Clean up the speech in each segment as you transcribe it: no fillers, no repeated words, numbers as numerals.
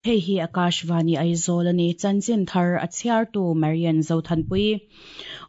Hei hi Akashvani Aizawl a ni. Chanchin thar a chhiartu Marian Zothanpui.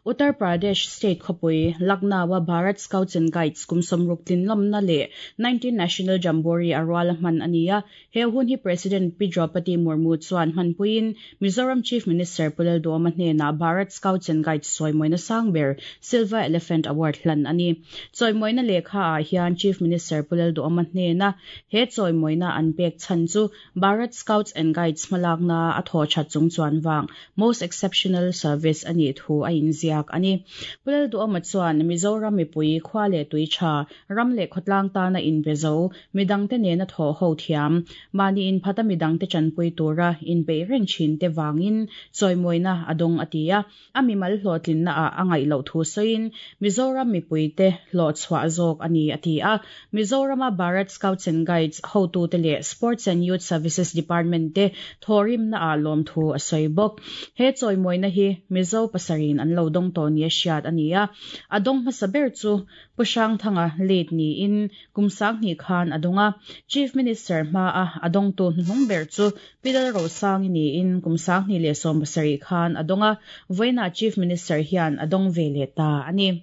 Uttar Pradesh state khawpui Lucknow-a Bharat Scouts and Guides kum sawmruk tlinlawmna leh 19 National Jamboree a rual a hman a ni a. He hun hi President Pi Droupadi Murmu chuan hmanpuiin Mizoram Chief Minister Pu Lalduhoma hnenah Bharat Scouts and Guides sawimawina sang ber Silver Elephant Award hlan a ni. Chawimawina lehkha ah hian Chief Minister Pu Lalduhoma hnena he chawimawina an pek chhan chu Bharat Scouts and Guides hmalakna a thaw that chung chuan vang Most Exceptional Service a nih thu a inziak a ni. Pu Lalduhoma chuan Mizoram mipui khua leh tui tha, ram leh khawtlang tana inbe zo, midangte nena thawh ho thiam, mahni inphata midangte tanpui tura inpeih reng thinte vangin chawimawina a dawng a ti a. A mimal hlawhtlinna ah a ngaih loh thu sawiin Mizoram mipuite hlawhchhuah zawk a ni a ti a. Mizorama Bharat Scouts and Guides hotute leh Sports and Youth Services Department te thawhrimna ah lawmthu a sawi bawk. He chawimawina hi Mizo pasarih an lo dawng tawh nia hriat a ni a. A dawng hmasa ber chu Pu Hrangthanga late niin kum sanghnih khan a dawng a. Chief Minister hmaa a dawngtu hnuhnung ber chu Pi Lalrosangi niin kum 2017 khan a dawng a, vawiinah Chief Minister hian a dawng ve leh ta a ni.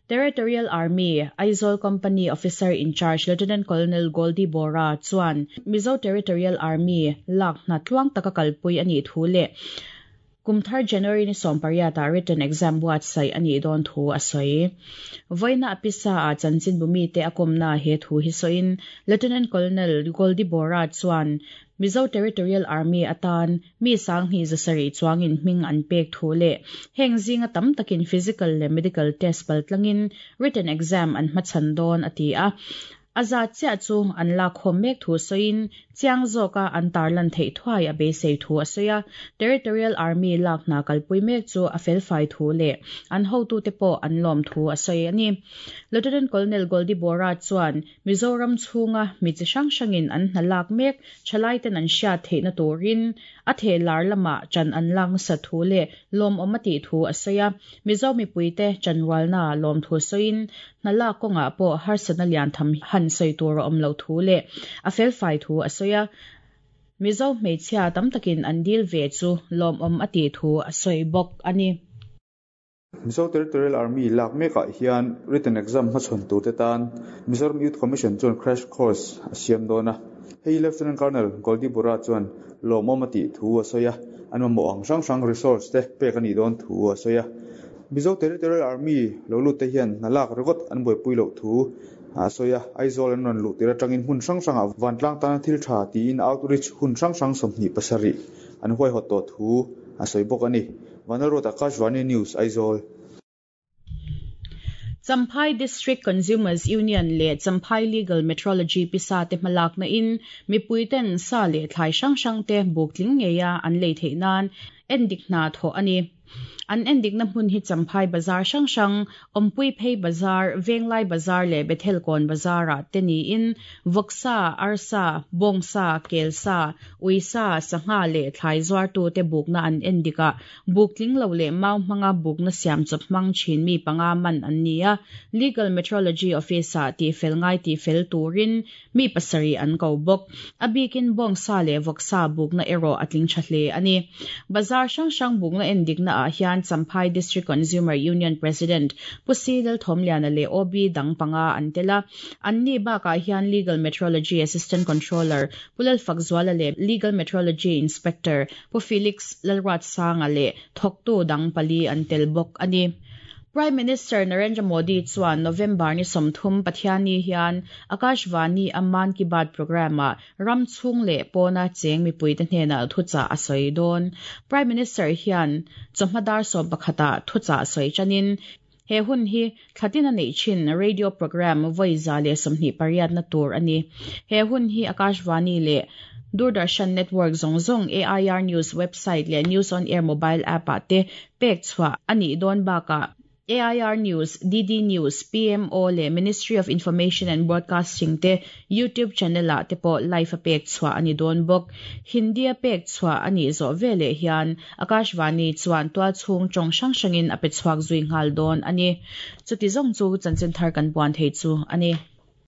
Territorial Army, Aizawl Company Officer in Charge Lieutenant Colonel Goldie Bora chuan Mizo Territorial Army lak hna tluang taka kalpui a nih thu leh Kum thar January ni sawmpariat ah written exam buatsaih a nih dawn thu a sawi. Vawiina a pisa ah chanchinbu mite a kawmna he thu hi sawiin Lieutenant Colonel Goldie Bora chuan Mizo Territorial Army atan mi sanghnih zasarih chuangin hming an pek thu leh heng zinga tam takin physical leh medical test paltlangin written exam an hmachhan dawn a ti a. A zat chiah chu an lakkhawm mek thu sawiin chiang zawka an tarlan theih thuai a beisei thu a sawi a. Territorial Army lak hna kalpui mek chu a felfai thu leh an hotute pawh an lawm thu a sawi a ni. Lieutenant Colonel Goldie Bora chuan Mizoram chhunga mi chi hrang hrangin an hna lak mek thalaiten an hriat theihna turin a theh lar lamah ṭan an lak nasa thu leh lawmawm a tih thu a sawi a. Mizo mipuite ṭanrualna lawmthu sawiin hna lak kawngah pawh harsatna lian tham han sawi tur a awm loh thu leh a felfai thu a sawi a. Mizo hmeichhia tam takin an dil ve chu lawmawm a tih thu a sawi bawk a ni. Mizo Territorial Army lak mekah hian written exam hmachhawn turte tan Mizoram Youth Commission chuan crash course a siam dawn a. Hei Lieutenant Colonel Goldie Bora chuan lawmawm a tih thu a sawi a, an mamawh ang hrang hrang resource te pek a nih dawn thu a sawi a. Mizo Territorial Army lo lut te hian hna lak ringawt an buaipui loh thu a sawi a, Aizawl an rawn luh tir atangin hmun hrang hrangah vantlang tana thil tha tiin outreach hun hrang hrang 27 an huaihawt tawh thu a sawi bawk a ni. Vanlalruat Akashvani News, Aizawl. Champhai District Consumers Union leh Champhai Legal Metrology pisa te hmalakna in mipui ten sa leh thlai hrang hrang te buk tling ngeia an lei theih nan endik hna thawh a ni. An endikna hmun hi Champhai Bazar hrang hrang, Awmpui Phei Bazar, Venglai Bazar leh Bethel Kawn Bazar ah te niin Vawksa, Arsa, Bawngsa, Kelsa, Uisa, Sangha leh thlai zuartute bukna an endik a, buk tling lo leh mau hmanga bukna siam chawp hmang thin mi panga man an ni a, Legal Metrology Office-ah tihfel ngai tihfel turin mi pasarih an ko bawk. A bikin bawngsa leh vawksa bukna erawh a tling tha hle a ni. Bazar hrang hrang bukna endikna ah hian Champhai District Consumer Union President Pu Si Lalthawmliana leh OB dang panga an tel a, anni bakah hian Legal Metrology Assistant Controller Pu Lalfakzuala leh Legal Metrology Inspector Pu Felix Lalruatsanga leh thawktu dang pali an tel bawk a ni. Prime Minister Narendra Modi chuan November ni 30 Pathianni hian Akashvani a Mann Ki Baat programme-ah ram chhung leh pawna cheng mipuite hnenah thuchah a sawi dawn. Prime Minister hian chawhma dar 11 ah thuchah sawi tanin he hun hi thlatin a neih thin radio programme vawi 128 na tur a ni. He hun hi Akashvani leh Doordarshan network zawng zawng AIR News website leh News on Air mobile app ah te pek chhuah a nih dawn bakah AIR News, DD News, PMO leh Ministry of Information and Broadcasting te YouTube channel ah te pawh live a pek chhuah a ni dawn bawk. Hindi a pek chhuah a nih zawh veleh hian Akashvani chuan tual chhung tawng hrang hrangin a pe chhuak zui nghal dawn a ni. Chuti zawng chu chanchin thar kan puan thei chu a ni.